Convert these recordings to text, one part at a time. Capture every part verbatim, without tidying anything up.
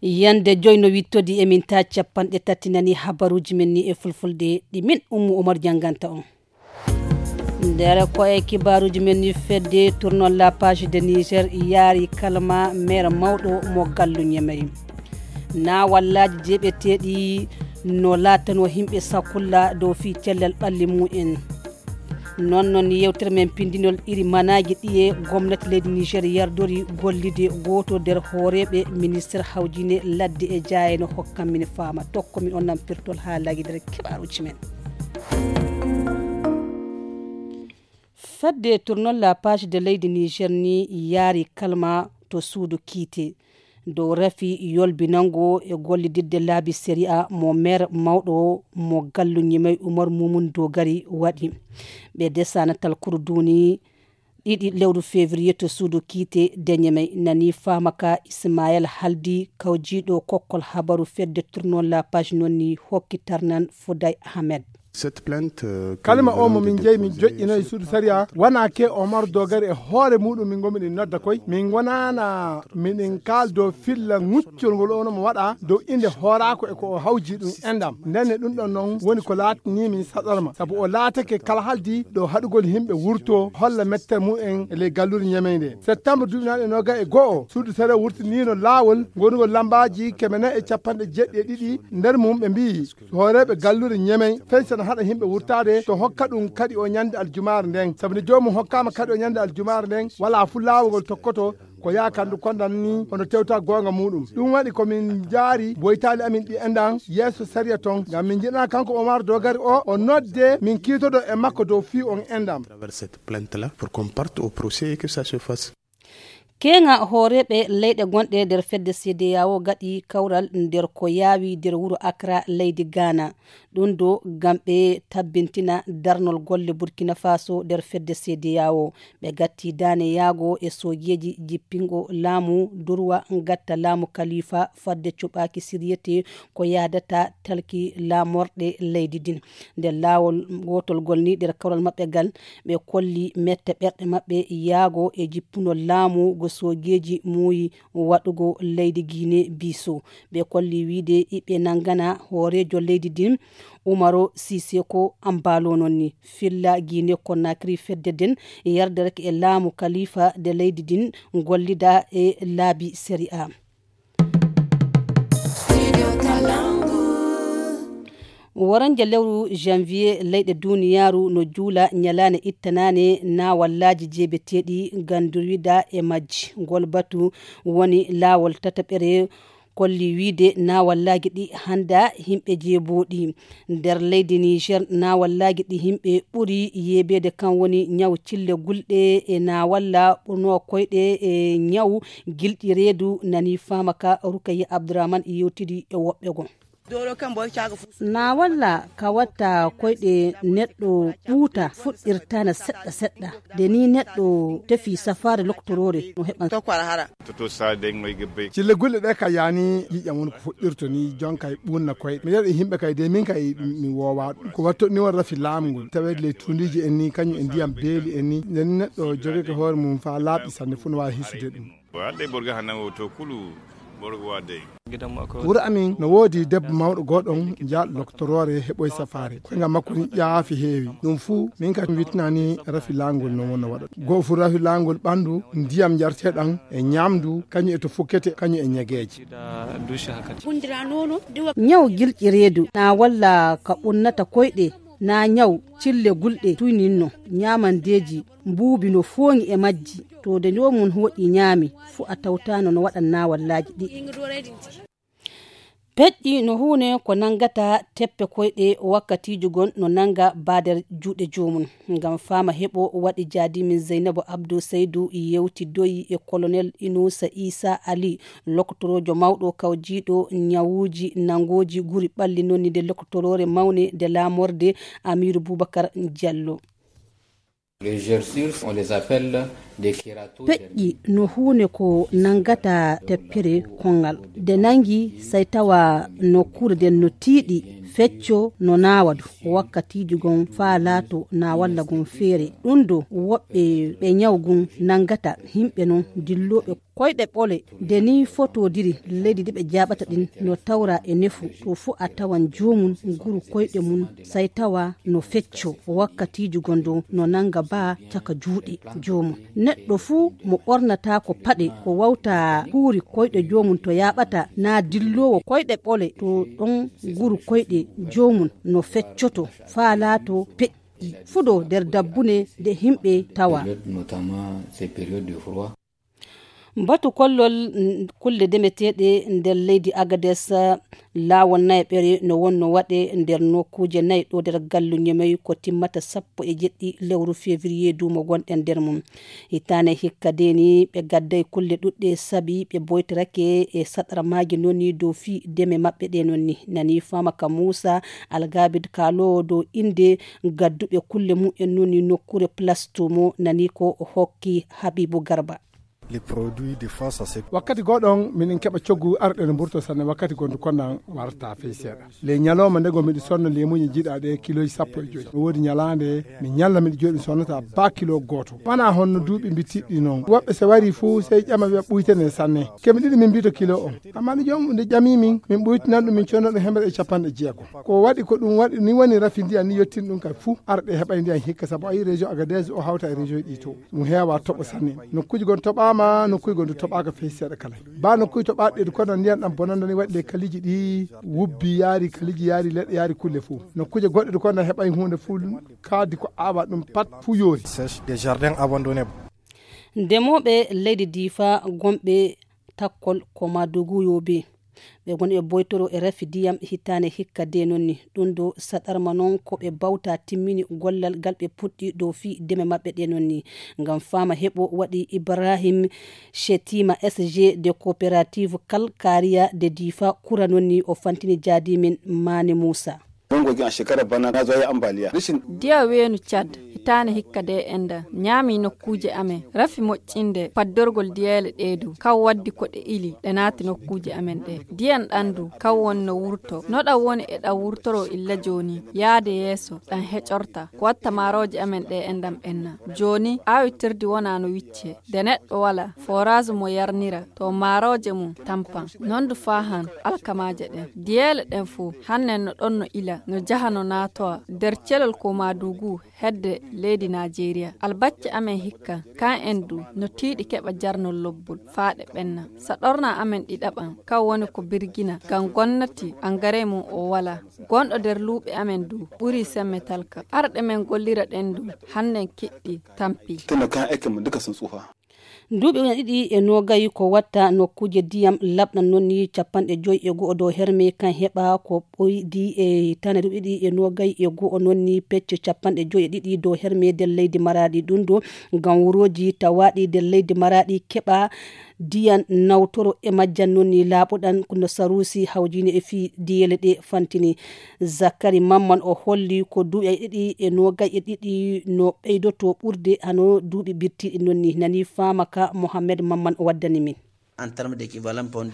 Yande joy no wittodi e min ta capanɗe tati nani habaruji men ni e fulfulde ɗi min Ummu Omar janganta on. Nder ko e kibaruji men ni fedde tournant la page de Niger yaari kalma maire mawɗo mo gallu Ñemey. Na wallaji jeɓeteɗi no latano himɓe sakulla dow fi cellal ɓalli mumen. Non non yewtere men pindinol iri manaji ɗiye gomnati leydi Niger yardori gollide goto nder hooreɓe ministre hawjine ladde e jayeno hokkan min fama tokko min onnan pirtol ha lagi nder kibaruji men. Fedde tournant la page de leydi Niger ni yaari kalma to suudu kiite dow rafi yolbinango e gollididde laabi sariya mo maire mawɗo mo gallu Ñemey Umar Mumun Dogari waɗi. Ɓe desana talkuru duni ɗiɗi lewru février to suudu kiite de Ñemey nani famaka Ismaël Haldi kawjiɗo kokkol habaru fedde tournant la page nonni hokki tarnan Fouday Ahmed. Cette plainte, euh, que kalima nous o mo venons de min jeyi min déposer joƴƴino e suudu sariya wona ke Omar Dogari e hoore muɗum min gomi ɗin nodda koy min wonana miɗen kaldo filla ŋuccol ngol ono mo waɗa dow inde hoorako e ko o hawji ɗum endam ndenne ɗum ɗon noon woni ko laatani min saɗarma sabu o laatake kala haldi ɗo haɗugol yimɓe wurto holla mette mumen e ley gallure Ñemey nde. Septembre duuɓi naɗe noga e go'o suudu sariya wurtinino laawol ngonugol lambaaji keme nayi e capanɗe jeɗɗi e ɗiɗi nder mum ɓe mbiyi hooreeɓe galluure Ñemey fensana haɗa yimɓe wurtaade to hokka ɗum kadi o ñande aljumaare nden sabu nde joomum hokkaama kadi o ñande aljumaare nden wala fu laawol ngol tokkoto ko yaha kandu kondan ni hono tewta goonga muɗum ɗum waɗi ko min jaari boytaali amin ɗi endan yeeso sariya ton ngam min jiɗana kanko Omar Dogari o o nodde min kiitodo e makko dow fii on endam. Travers cette plainte là pour qu'on parte au procès et que ça se fasse. Keŋa hooreeɓe leyɗe gonɗe nder fedde C D A O gaɗi kawral nder ko yaawi nder wuro Accra leydi Ghana. Ɗum ɗo ngam ɓe tabbintina darnol golle Burkina Faso nder fedde C D A O. Ɓe gatti daane yaago e soojeeji jippingo laamu durwa gatta laamu kalifa fadde cuɓaaki siryete ko yaadata talki laamorɗe leydi din. Nder laawol gootol ngol ni nder kawral maɓɓe ngal ɓe kolli mette ɓerɗe maɓɓe yaago e jippunol laamu go soojeeji muuyi waɗugo leydi Guinée Bissau. Ɓe kolli wiide iɓe nangana hooreejo leydi din Umaro Siseko Ambalo non ni filla Guinée Conakry fedde den yarderake e laamu kalifa de leydi din gollida e laabi sariya. Woranje lewru janvier leyɗe duniyaaru no juula ñalaane ittanaane na wallaaji jeebeteeɗi gandurida e majji ngol batu woni laawol tataɓere kolli wiide na wallaaji ɗi hannda yimɓe jeebooɗi nder leydi Niger na wallaaji ɗi yimɓe ɓuri yeebeede kan woni ñaw cille gulɗe e na walla ɓurno koyɗe e ñaw gilɗi reedu nani faama ka Rukayya Abdourahmane yewtidi e woɓɓe goo. Na walla ka watta koyɗe neɗɗo ɓuuta fuɗɗirtana seɗɗa seɗɗa de ni neɗɗo tefi safaare loktoroore no heɓan. Cille gulɗe ɗe ka yani yiƴam won ko fuɗɗirto ni jonka e ɓunna koyɗe mi yeɗo e yimɓe kay de min kay mi wowa ɗum ko watto ni won rafi laamu ngol taweede ley tundiiji en ni kañum e ndiyam beeli en ni nden neɗɗo jogeke hoore mum fa laaɓi sanne fu no wawi hisude ɗum. Waɗde borga hannde o to kulu borgo waɗde. Wuro amin no woodi debbo mawɗo gooɗon jaalɗo loktoroore heɓoy safaare koyngal makko ni ƴaafi heewi ɗum fuu min ka witnani rafi laangol no wona waɗata goo fu rafi laangol ɓanndu ndiyam njarteɗam e ñaamdu kañum e to fukkete kañum e ñegeeje. Ñaw gilƴi reedu na walla ka ɓunnata koyɗe na ñaw cille gulɗe tuyninno ñaamandeeji mbuubi no fooŋi e majji to de joomum hooƴi ñaami fu a tawtaano no waɗan naawallaaji ɗi. Peƴƴi no huune ko nanngata teppe koyɗe wakkatiiji gon no nannga baader juuɗe joomum. Ngam faama heɓo waɗi jaadimin Zeynabu Abdou Seydou yewtidoyi e kolonel Inuusa Iisa Ali loktoroojo mawɗo kawjiiɗo ñawuuji nanngooji guri ɓalli nonni nde loktoroore mawne nde laamorde Amiiru Buubakar Jallo. Peƴƴi no huune ko nanngata teppere konngal de nanngi sey tawa nokkuure nden no tiiɗi fecco no naawadu wakkatiiji gon faa laato na walla gon feere ɗum do woɓɓe ɓe ñaw gun nanngata yimɓe non dillooɓe. Koyɗe ɓole de ni fotodiri leydi ndi ɓe jaɓata ɗin no tawra e nefu to fu a tawan joomum nguru koyɗe mum sai tawa no fecco wakkatiiji gondo no nanga ba caka juuɗe joomum. Neɗɗo fu mo ɓornata ko paɗe ko wawta huuri koyɗe joomum to yaɓata na dillowo koyɗe ɓole to ɗon nguru koyɗe joomum no feccoto faa laato peƴƴi fuɗo nder dabbune nde himɓe tawa. Batu kollol kulle demeteeɗe nder leydi Agades, laawol nayaɓere no wonno waɗe nder nokkuuje nayi ɗo nder gallu Ñemoy ko timmata sappo e jeɗɗi lewru février duumo gonɗen nder mum. Hitaane hikka de ni ɓe gadday kulle ɗuɗɗe sabi ɓe boytorake e saɗarmaaji non ni dow fii deme maɓɓe ɗe non ni. Nani faama ka Muusa Algabid kaaloowo dow innde gadduɓe kulle mumen non ni nokkuure Place Tumo nani ko hokki Habibu Garba. Wakkati goɗon miɗen keɓa coggu arɗen mburto sanne wakkati gondu konnan warta fey seeɗa. Ley ñalawma ndego miɗo sonna leemuuji jiɗaaɗe kilooji sappo e joyi. No woodi ñalaande mi ñalla miɗo jooɗi mi sonnata ba kilo gooto. Wanaa honno duuɓi mbittiɗi non. Woɓɓe so wari fuu sey ƴama wi'a ɓuytene sanne. Kemi ɗiɗi min mbito kilo on. Amma ni joomum nde ƴami min min ɓuytinan ɗum min conna ɗum hemre e capanɗe jeego. Ko waɗi ko ɗum waɗi ni woni rafi ndiyan ni yottin ɗum kay fuu arɗe heɓay ndiyan hikka sabu ayi région Agadez o hawta e région ɗi to. Ɗum heewa toɓo sanne. Nokkuuji gon toɓaama nokkuuji gon du toɓaaka fey seeɗa kala. Ba nokkuuji toɓaaɗi ɗe du kono ndiyan ɗan bonanda ni waɗi le kaliji ɗi wubbi yaari kaliji yaari leɗɗe yaari kulle fuu. Nokkuuje goɗɗe du kono heɓay huunde fuu kaadi ko aawa ɗum pat fuu yoori. Des jardins abandonnés. Ndemooɓe leydi Diifa gonɓe takkol ko Madugu Yobe. Ɓe ngoni e boytoro e rafi ndiyam hitaane hikka de nonni. Ɗum ɗo saɗarma noon ko ɓe bawta timmini gollal ngal ɓe puɗɗi dow fii deme maɓɓe ɗe nonni. Ngam faama heɓo waɗi Ibrahim Shetima S G de coopérative Kalkariya de Diifa kura nonni o fantini jaadimin Maane Muusa. Bangogi a shekarar bana na zo ya ambaliya. Rashin Diya weenu Cad hitaane hikka de enda ñaami nokkuuje amen rafi moƴƴinde paddorgol diyeele ɗee du kaw waddi ko ɗe ili ɗe naati nokkuuje amen ɗee. Diyan ɗan du kaw won no wurto no ɗan woni e ɗan wurtoro illa jooni yaade yeeso ɗan heƴorta ko watta maarooje amen ɗee endan ɓenna. Jooni aawitirdi wonaa no wicce de neɗɗo wala forage mo yarnira to maarooje mum tampan non du faa han alkamaaje ɗen diyeele ɗen fow hannen no ɗon no ila no jaha no naatowa der celol ko maadugu hedde leydi naajeeriya albacce amen hikka kan en du no tiiɗi keɓa jarnol lobbol faa ɗe ɓenna saɗorna amen ɗiɗaɓan kan woni ko birgina ngam gonnati angare mum o wala gonɗo der luuɓe amen du ɓuri semme talka arɗe men gollira ɗen du hannen kiɗɗi tampi. Tunda kayan aikinmu duka sun tsufa. Duuɓi ujine ɗiɗi e noogay ko watta nokkuuje diyam laɓɗan noon ni capanɗe joy e go'o dow herme kan heɓa ko ɓoydi e tane duuɓi ɗiɗi e noogay e go'o noon ni pecce capanɗe joy e ɗiɗi dow herme nder leydi maraɗi ɗum ɗo ngam wurooji tawaɗi nder leydi maraɗi keɓa diyan nawtoro e majjan noon ni laaɓuɗan no sarusi hawjine e fii diyele ɗe fantini. Zakari Mamman o holli ko duuɓi ɗiɗi e noogay e ɗiɗi no ɓeydoto ɓurde hano duuɓi birtiɗi noon ni nani faama ka Mohammed Mamman o waddani min.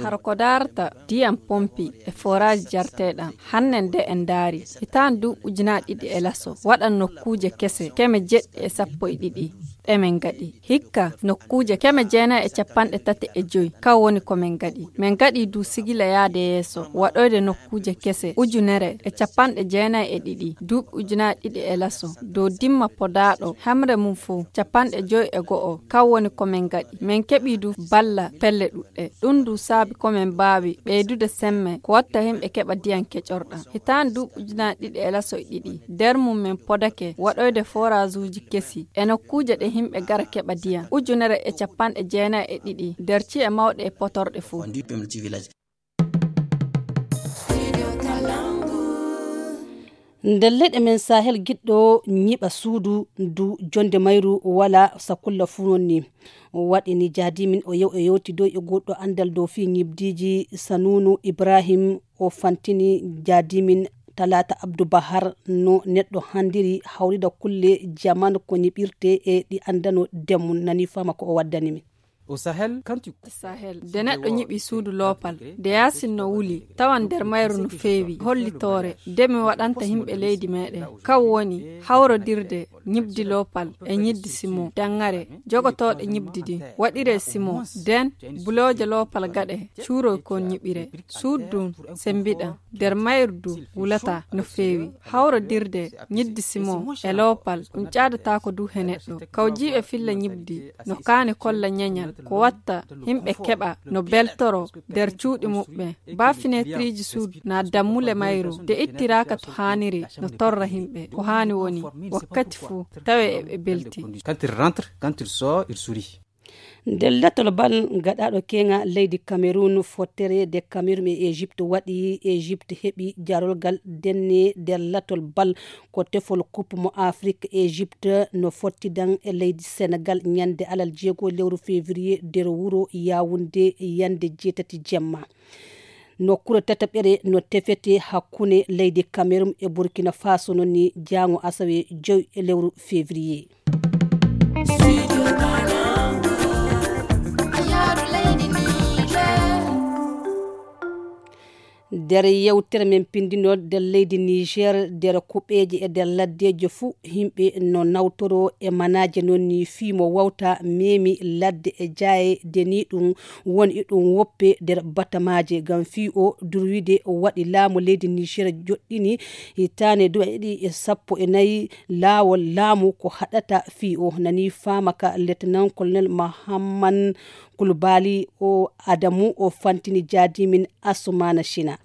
Hara ko daarata diyan pompi e forage jarteɗan hannen de en daari hitaan duuɓi ujunaaji ɗiɗi e laso waɗan nokkuuje kese keme jeɗɗi e sappo e ɗiɗi ɗe men ngaɗi hikka nokkuuje keme jeenayi e capanɗe tati e joy kan woni ko men ngaɗi men ngaɗi du sigila yaade yeeso waɗoyde nokkuuje kese ujunere e capanɗe jeenayi e ɗiɗi duuɓi ujunaaji ɗiɗi e laso dow dimma podaaɗo hemre mum fow capanɗe joy e go'o kan woni ko men ngaɗi men keɓi du balla pelle ɗuɗɗe ɗum du saabi ko men mbaawi ɓeydude semme ko watta himɓe keɓa diyan keƴorɗan hitaande duuɓi ujunaaji ɗiɗi e laso e ɗiɗi nder mum men podake waɗoyde forage uji kesi e nokkuuje ɗe himɓe gara keɓa diyan ujunere e capanɗe jeenayi e ɗiɗi nder ci'e mawɗe e potorɗe fow. Nder leyɗe men sahel giɗɗo ñiɓa suudu ndu jonde mayru wala sakulla fuu noon ni waɗi ni jaadimin o yew e yewtidoy e goɗɗo anndal dow fii ñibdiiji sanuunu ibrahim o fantini jaadimin talaata abdu bahar no neɗɗo hanndiri hawrida kulle jaman ko ñiɓirte e ɗi anndano ndemum nani fama ko o waddani min. Sahel, de neɗɗo ñiɓi suudu loopal, de yaasin no wuli, tawan nder mayru no feewi, hollitoore, de mi waɗanta yimɓe leydi meɗen. Kan woni hawrodirde ñiɓdi loopal e ñiɓdi simo, danŋare, jogotooɗe ñiɓdi ɗin, waɗire simo, den bulooje loopal gaɗe, cuuroy kon ñiɓire. Suudu ndun sembiɗan, nder mayru du wulata no feewi. Hawrodirde ñiɓdi simo e loopal, ɗum ƴaadataako du he neɗɗo. Kawjiiɓe filla ñiɓdi no kaani kolla ñeñal, ko watta yimɓe keɓa no beltoro nder cuuɗi muɓɓen. Baa fineetiriiji suudu naa dammule mayru de ittiraaka to haaniri no torra yimɓe. Ko haani woni wakkati fuu tawe eɓe belti. Quand il rentre, quand il sort, il sourit. Nder latol bal gaɗaaɗo keeŋa leydi Cameroun, fottere de Cameroun e Egypte waɗi, Egypte heɓi jarolgal denne nder latol bal ko tefol Coupe mo Afrique. Egypte no fottidan e leydi Senegal ñande alal jeego lewru février nder wuro Yaoundé yande jeetati jemma. Nokkure tataɓere no tefete hakkunde leydi Cameroun e Burkina Faso non ni jaango asawe joy e lewru février. Nder yewtere men pindino nder leydi Niger, nder kuɓeeje e nder laddeejo fuu, yimɓe no nawtoro e manaaje non ni fii mo wawta meemi ladde e jaaye de ni ɗum woni e ɗum woppe nder batamaaje ngam fii o durwide waɗi laamu leydi Niger joɗɗini hitaande duuɓi ɗiɗi e sappo e nayi laawol laamu ko haɗata fii o nani faama ka Lieutenant Colonel Mahamman Kulbali o Adamu o fantini jaadimin Asumana Shina.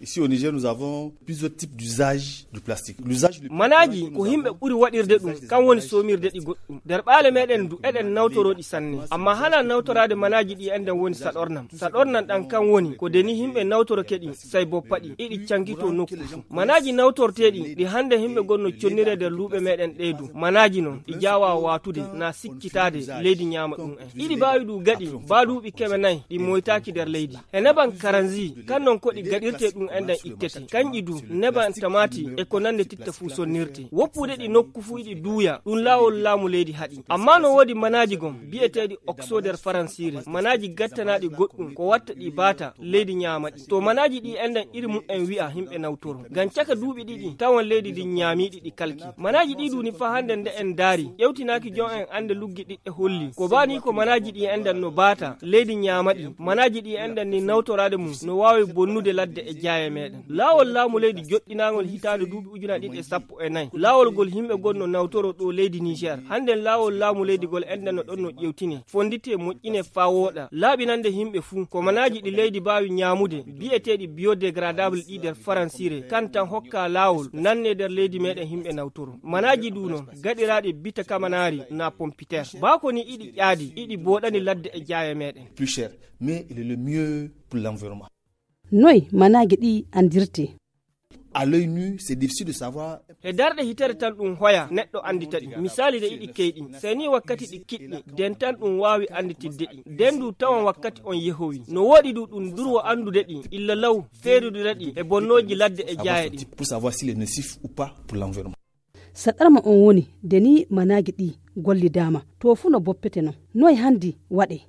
Ici au Niger, nous avons plusieurs types d'usage du plastique. L'usage le plus manaaji ko yimɓe ɓuri waɗirde ɗum kan woni soomirde ɗi goɗɗum nder ɓaale meɗen du eɗen nawtoro ɗi sanne, amma hana nawtoraade manaaji ɗi enɗen woni saɗornam. Saɗornam ɗan kan woni ko deni yimɓe nawtoroke ɗi sai boppa ɗi iɗi cankito nokku fuu. Manaaji nawtorteeɗi ɗi hande yimɓe gonno connire nder luuɓe meɗen ɗe du manaaji non ɗi jaawa waatude na sikkitaade leydi ñaama ɗum en. Iɗi baawi ɗum gaɗi baa duuɓi keme nayi ɗi moytaaki nder leydi. E neban karanzi kan non ko ɗi gaɗirte ɗum enɗan ittete, kanƴi du neban tamaati e ko nande titta fuu sonnirte. Woppude ɗi nokku fuu iɗi duuya ɗum laawol laamu leydi haɗi. Amma no woodi manaaji gon bi'eteeɗi okso nder faransiire, manaaji gattanaaɗi goɗɗum ko watta ɗi baata leydi ñaama ɗi. To manaaji ɗi enɗan iri mu'en wi'a yimɓe nawtoro ngam caka duuɓi ɗiɗi tawan leydi ndin ñaamiiɗi ɗi kalki. Manaaji ɗi duni fa hande nde en ndaari ƴewtinaaki jon en ande luggi ɗiɗɗe holli ko baa ni ko manaaji ɗi enɗan no baata leydi ñaama ɗi. Manaaji ɗi enɗan ni nawtoraade mum no waawi bonnude ladde e jaaye meɗen. Laawol laamu leydi joɗɗinaangol hitaande duuɓi ujunaaji ɗiɗi e sappo e nayi, laawol ngol yimɓe gonno nawtoro ɗo leydi Niger, hande laawol laamu leydi ngol enɗan no ɗon no ƴewtine, fondite, moƴƴine faa wooɗa, laaɓinande yimɓe fuu. Ko manaaji ɗi leydi baawi ñaamude bi'eteeɗi biodégradable ɗi nder faransiire kan tan hokka laawol nanne nder leydi meɗen yimɓe nawtoro. Manaaji du non gaɗiraaɗi bita kamanaari na pompiter. Baa ko ni iɗi ƴaadi iɗi booɗani ladde e jaaye meɗen. Plus cher, mais il est le mieux pour l'environnement. Noy manaaji ɗi andirte? À l'œil nu, c'est difficile de savoir. He darɗe hitere tan ɗum hoya neɗɗo andita ɗi. Misaali de iɗi keyɗi. Sey ni wakkati ɗi kiɗɗi, den tan ɗum waawi anditidde ɗi. Den du tawan wakkati on yehowi. No woɗi du ɗum durwo andude ɗi, illa law, feerudude ɗi e bonnooji ladde e jaaye ɗin. Pour savoir s'il est nocif ou pas pour l'environnement. So ɗarma on woni, de ni manaaji ɗi gollidaama, to fu no boppete non. Noy handi waɗe?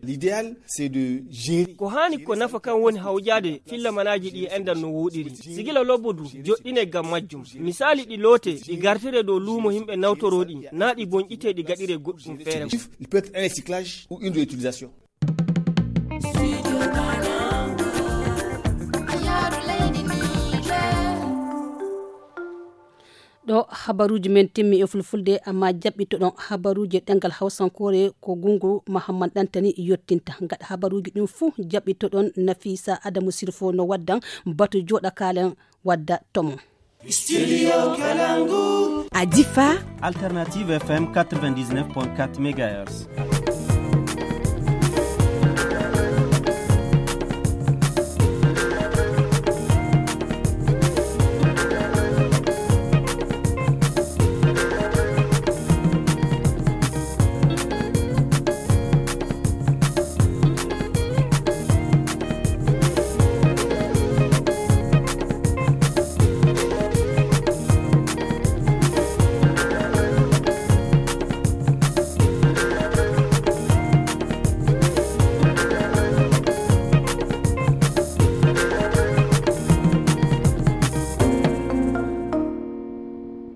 L'idéal, c'est de gérer. Ko haani ko nafa kan woni hawjaade filla manaaji ɗi enɗan no wooɗiri. Sigila lobbo du, joɗɗine ngam majjum. Misaali ɗi loote, ɗi gartire dow luumo yimɓe nawtoroo ɗi, naa ɗi bonƴite ɗi gaɗire goɗɗum feere. Il peut être un recyclage ou une réutilisation. Ɗo habaruuji men timmi e fulfulde, amma jaɓɓitoɗon habaruuji e ɗemngal hawsankoore ko Gungu Mahamman Ɗantani yottinta. Gaɗa habaruuji ɗin fuu jaɓɓitoɗon Nafisa Adamu Sirfo no waddan batu jooɗa kaalen wadda tomo. Studio Kalangu. A Difa. Alternative F M quatre-vingt-dix-neuf point quatre mégahertz.